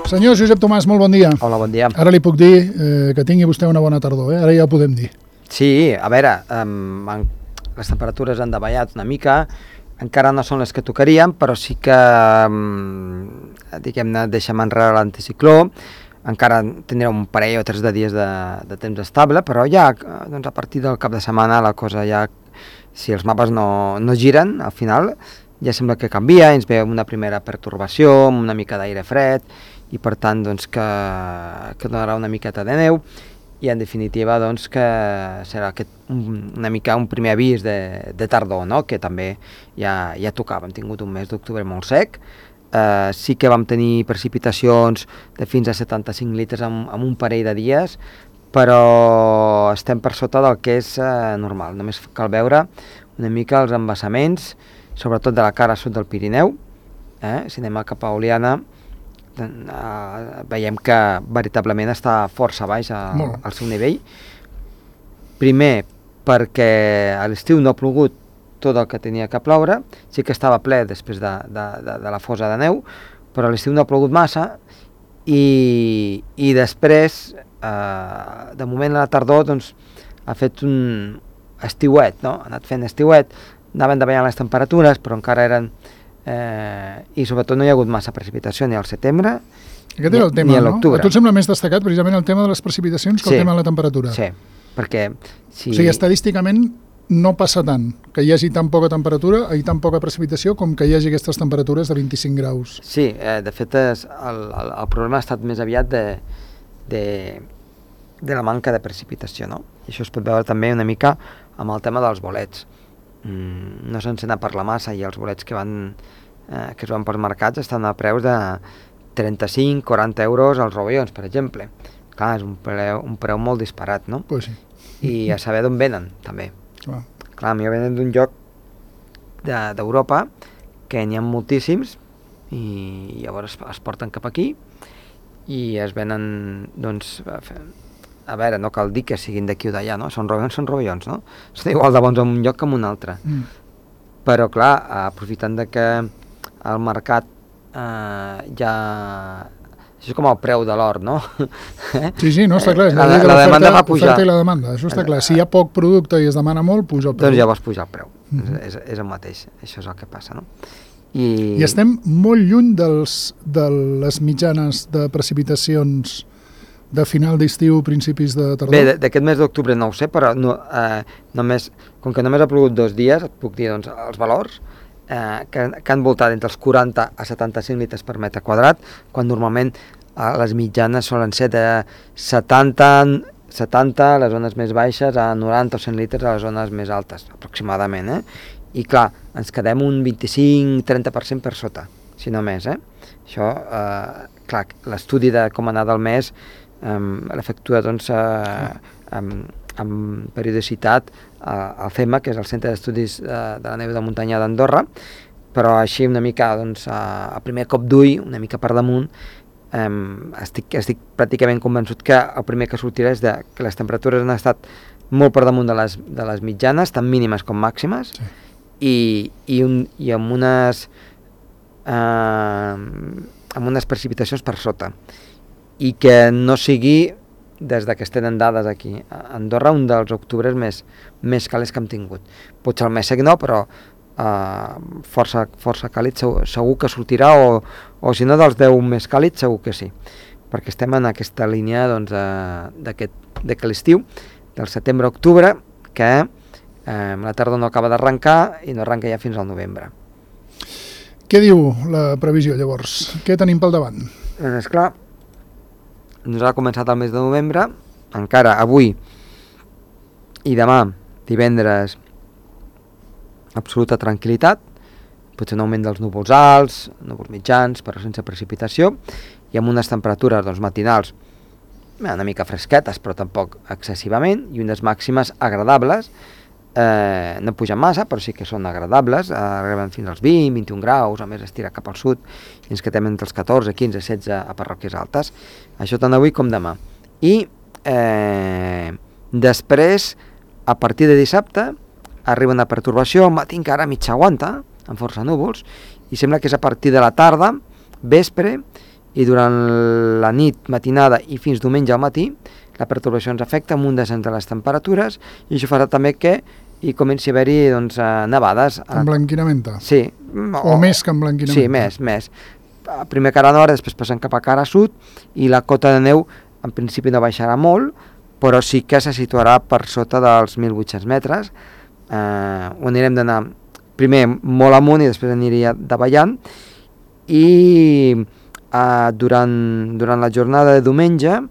Senyor Josep Tomàs, molt bon dia. Hola, bon dia. Ara li puc dir que tingui vostè una bona tardor, ara ja ho podem dir. Sí, a veure, les temperatures han davallat una mica, encara no són les que tocarien, però sí que, diguem-ne, deixem enrere l'anticicló, encara tindrà un parell o 3 de dies de temps estable, però ja doncs a partir del cap de setmana la cosa ja, si els mapes no giren, al final ja sembla que canvia, ens ve una primera pertorbació, amb una mica d'aire fred, i per tant doncs, que donarà una miqueta de neu, i en definitiva doncs, que serà una mica un primer avís de tardor, no? Que també ja tocava. Hem tingut un mes d'octubre molt sec, sí que vam tenir precipitacions de fins a 75 litres en un parell de dies, però estem per sota del que és normal. Només cal veure una mica els embassaments, sobretot de la cara sud del Pirineu. Si anem cap a Oliana, veiem que veritablement està força baix al seu nivell. Primer, perquè a l'estiu no ha plogut tot el que tenia que ploure, sí que estava ple després de la fosa de neu, però a l'estiu no ha plogut massa, i després, de moment a la tardor, doncs, ha fet un estiuet, no? Ha anat fent estiuet, anaven davallant les temperatures, però encara eren... i sobretot no hi ha hagut massa precipitació ni al setembre ni a l'octubre. A tu et sembla més destacat precisament el tema de les precipitacions que el tema de la temperatura? Sí, perquè... O sigui, estadísticament no passa tant que hi hagi tan poca temperatura i tan poca precipitació com que hi hagi aquestes temperatures de 25 graus. Sí, de fet el problema ha estat més aviat de la manca de precipitació, no? I això es pot veure també una mica amb el tema dels bolets. No s'encén a parlar massa, i els bolets que es van pels mercats estan a preus de 35-40 euros als rovellons, per exemple. Clar, és un preu molt disparat, no? Pues sí. I a saber d'on venen, també. Clar, millor venen d'un lloc d'Europa que n'hi ha moltíssims, i llavors es porten cap aquí i es venen, doncs, a veure, no cal dir que siguin d'aquí o d'allà, no? Són rovellons, no? Són igual de bons en un lloc que en un altre. Però, clar, aprofitant de que el mercat ja... Això és com el preu de l'or, no? Sí, no, està clar. La demanda va pujar. L'oferta i la demanda, això està clar. Si hi ha poc producte i es demana molt, puja el preu. Doncs llavors puja el preu. És el mateix. Això és el que passa, no? I estem molt lluny de les mitjanes de precipitacions de final d'estiu, principis de tardor? Bé, d'aquest mes d'octubre no ho sé, però com que només ha plogut 2 dies, et puc dir doncs, els valors que han voltat entre els 40 a 75 litres per metre quadrat, quan normalment les mitjanes solen ser de 70 a les zones més baixes, a 90 o 100 litres a les zones més altes, aproximadament. I clar, ens quedem un 25-30% per sota, si no més. Això, clar, l'estudi de com ha anat el mes l'efectua doncs, amb periodicitat al CEMA, que és el Centre d'Estudis de la Neu de Muntanya d'Andorra, però així una mica doncs, a primer cop d'ull, una mica per damunt, estic pràcticament convençut que el primer que sortirà és que les temperatures han estat molt per damunt de les mitjanes, tant mínimes com màximes, i amb unes precipitacions per sota, i que no sigui, des que es tenen dades aquí a Andorra, un dels octubres més càlids que hem tingut. Potser el més sec no, però força càlid segur que sortirà, o si no dels 10 més càlids segur que sí, perquè estem en aquesta línia doncs, de que l'estiu, del setembre a octubre, que la tardor no acaba d'arrencar i no arrenca ja fins al novembre. Què diu la previsió llavors? Què tenim pel davant? Doncs esclar, ens ha començat el mes de novembre, encara avui i demà, divendres, absoluta tranquil·litat, potser un augment dels núvols alts, núvols mitjans, però sense precipitació, i amb unes temperatures doncs, matinals una mica fresquetes, però tampoc excessivament, i unes màximes agradables, no pugen massa, però sí que són agradables, arriben fins als 20-21 graus, a més estira cap al sud, i ens quedem entre els 14, 15, 16 a parròquies altes. Això tant avui com demà. I després, a partir de dissabte, arriba una pertorbació, al matí encara mig aguanta, amb força núvols, i sembla que és a partir de la tarda, vespre, i durant la nit, matinada i fins diumenge al matí, la pertorbació ens afecta amb un descens de les temperatures i això farà també que hi comenci a haver-hi doncs, nevades. Emblanquinamenta? Sí. O més que emblanquinamenta? Sí, més. Primer cara nord, després passant cap a cara sud i la cota de neu en principi no baixarà molt, però sí que se situarà per sota dels 1.800 metres, on anirem d'anar primer molt amunt i després aniria davallant, i durant la jornada de diumenge,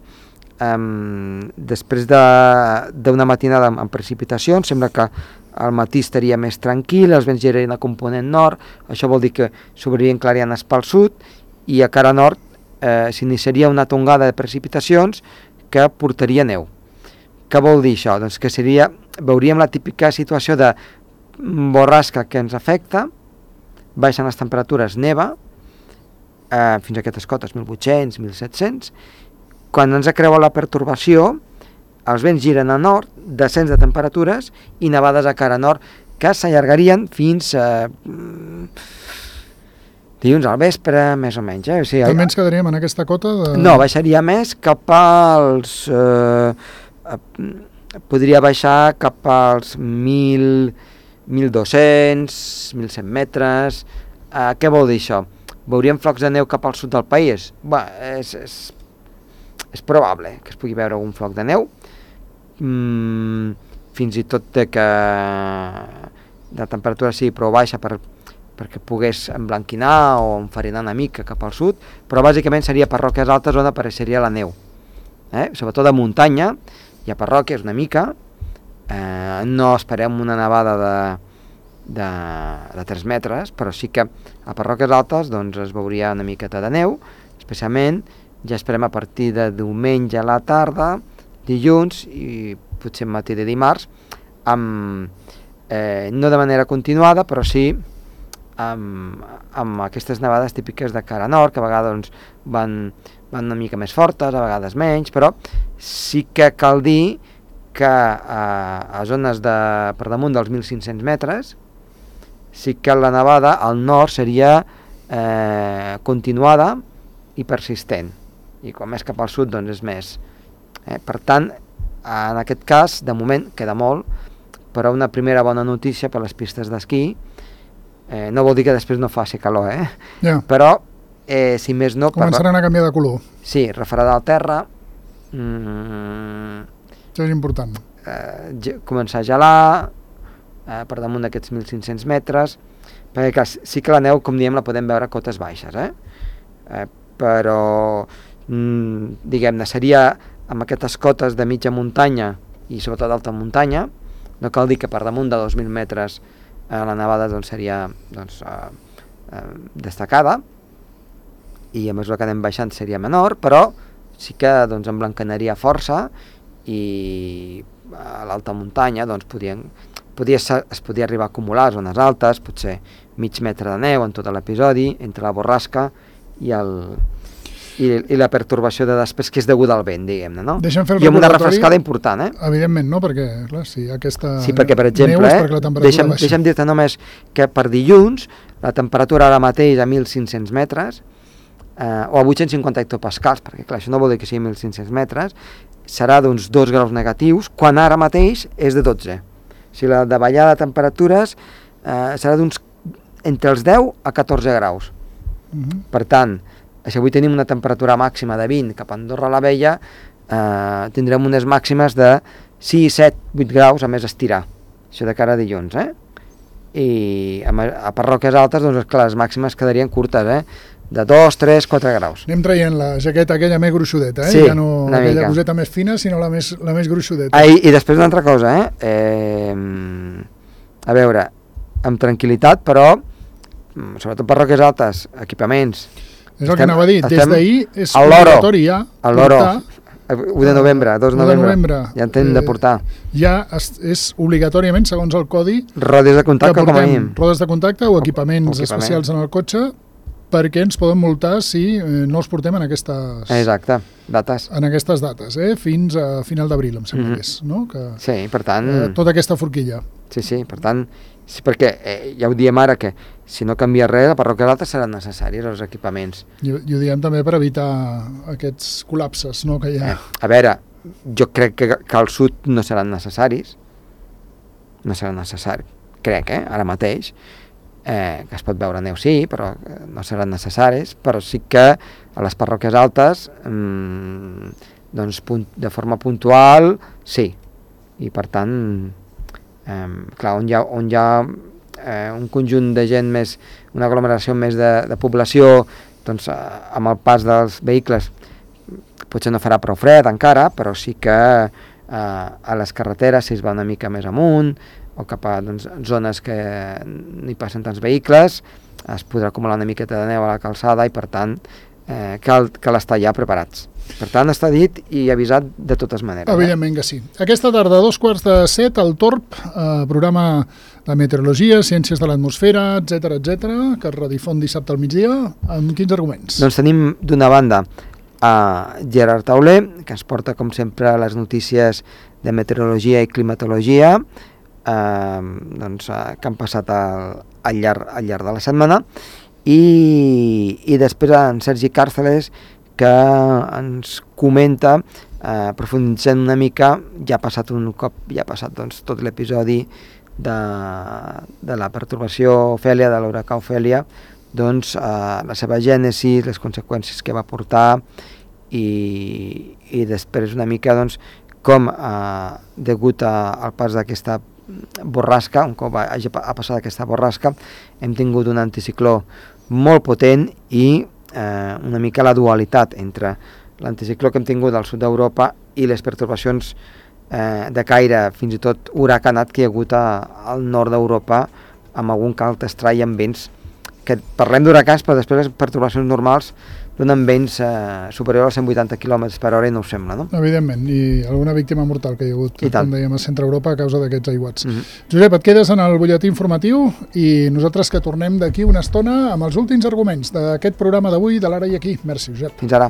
després d'una matinada amb precipitacions, sembla que al matí estaria més tranquil, els vents girarien a component nord, això vol dir que s'obririen clarianes pel sud, i a cara nord s'iniciaria una tongada de precipitacions que portaria neu. Què vol dir això? Doncs que veuríem la típica situació de borrasca que ens afecta, baixen les temperatures, neva, fins a aquestes cotes, 1.800, 1.700, quan ens creua la pertorbació, els vents giren a nord, descens de temperatures i nevades a cara nord, que s'allargarien fins dilluns al vespre, més o menys. O sigui, també ens quedaríem en aquesta cota? No, baixaria més cap als... podria baixar cap als 1.200, 1.100 metres. Què vol dir això? Veuríem flocs de neu cap al sud del país? Bé, és probable que es pugui veure algun floc de neu, fins i tot que la temperatura sigui prou baixa perquè pogués emblanquinar o enfarinar una mica cap al sud, però bàsicament seria parròquies altes on apareixeria la neu, sobretot de muntanya. Hi ha parròquies una mica, no esperem una nevada de 3 metres, però sí que a parròquies altes doncs, es veuria una miqueta de neu, especialment ja esperem a partir de diumenge a la tarda, dilluns i potser matí de dimarts, no de manera continuada, però sí amb aquestes nevades típiques de cara nord, que a vegades doncs, van una mica més fortes, a vegades menys, però sí que cal dir que a zones per damunt dels 1.500 metres sí que la nevada al nord seria continuada i persistent, i quan més cap al sud doncs és més. Per tant, en aquest cas, de moment, queda molt, però una primera bona notícia per les pistes d'esquí. No vol dir que després no faci calor, Ja. Però, si més no... Començaran a canviar de color. Sí, refredar el terra. Això és important. Començar a gelar per damunt d'aquests 1.500 metres, perquè clar, sí que la neu, com diem, la podem veure a cotes baixes, però diguem-ne, seria amb aquestes cotes de mitja muntanya i sobretot d'alta muntanya. No cal dir que per damunt de 2.000 metres la nevada doncs, seria destacada, i a mesura que anem baixant seria menor, però sí que doncs, emblanquinaria força, i a l'alta muntanya doncs, es podia arribar a acumular zones altes, potser mig metre de neu en tot l'episodi, entre la borrasca i la pertorbació de després, que és deguda al vent, diguem-ne, no? I amb una refrescada important, Evidentment, no? Perquè, clar, si aquesta sí, perquè, per exemple, deixa'm dir-te només que per dilluns la temperatura ara mateix a 1.500 metres, o a 850 hectopascals, perquè clar, això no vol dir que sigui 1.500 metres, serà d'uns 2 graus negatius, quan ara mateix és de 12. O sigui, la davallada de temperatures serà d'uns entre els 10 a 14 graus. Per tant, si avui tenim una temperatura màxima de 20 cap a Andorra la Vella, tindrem unes màximes de 6, 7, 8 graus a més estirar. Això de cara a dilluns, I a parròquies altes, doncs, clar, les màximes quedarien curtes, de 2, 3, 4 graus. Anem traient la jaqueta aquella més gruixudeta, Sí, ja no aquella coseta més fina, sinó la més gruixudeta. I després una altra cosa, a veure, amb tranquil·litat, però, sobretot parròquies altes, equipaments... És el que anava a dir, des d'ahir és obligatori ja portar... 1 de novembre, 2 de novembre, ja en tenen de portar. Ja és obligatòriament, segons el codi... Rodes de contacte, com a mínim. Rodes de contacte o equipaments especials en el cotxe, perquè ens poden multar si no els portem en aquestes... Exacte, dates. En aquestes dates, fins a final d'abril, em sembla que és, no? Sí, per tant... Tota aquesta forquilla. Sí, per tant, sí, perquè ja ho diem ara que si no canvia res, a parròquies altes seran necessaris els equipaments. I ho diem també per evitar aquests col·lapses, no?, que hi ha. A veure, jo crec que al sud no seran necessaris, crec, ara mateix, que es pot veure neu, sí, però no seran necessaris, però sí que a les parròquies altes, doncs, de forma puntual, sí, i per tant, clar, on hi ha un conjunt de gent més, una aglomeració més de població, doncs amb el pas dels vehicles potser no farà prou fred encara, però sí que a les carreteres, si es va una mica més amunt o cap a zones que no hi passen tants vehicles, es podrà acumular una miqueta de neu a la calçada i per tant cal estar ja preparats. Per tant, està dit i avisat de totes maneres. Evidentment que sí. Aquesta tarda, 6:45, al Torb, programa de meteorologia, ciències de l'atmosfera, etc, que es redifon dissabte al migdia. Amb quins arguments? Doncs tenim d'una banda a Gerard Tauler, que ens porta, com sempre, les notícies de meteorologia i climatologia que han passat al llarg de la setmana, i després en Sergi Càrceles, que ens comenta, profunditzant una mica, ja ha passat doncs, tot l'episodi de la pertorbació Ofèlia, de l'huracà Ofèlia, doncs la seva gènesi, les conseqüències que va portar i després una mica doncs, com degut al pas d'aquesta borrasca, un cop ha passat aquesta borrasca, hem tingut un anticicló molt potent i una mica la dualitat entre l'anticicló que hem tingut al sud d'Europa i les pertorbacions de caire fins i tot huracanat que hi ha hagut al nord d'Europa, amb algun calt estrai amb vents, que parlem d'huracans però després les pertorbacions normals donen vents superior als 180 km per hora i no ho sembla, no? Evidentment, i alguna víctima mortal que hi ha hagut, com dèiem, a centre Europa a causa d'aquests aiguats. Mm-hmm. Josep, et quedes en el butlletí informatiu i nosaltres que tornem d'aquí una estona amb els últims arguments d'aquest programa d'avui de l'Ara i Aquí. Merci, Josep. Fins ara.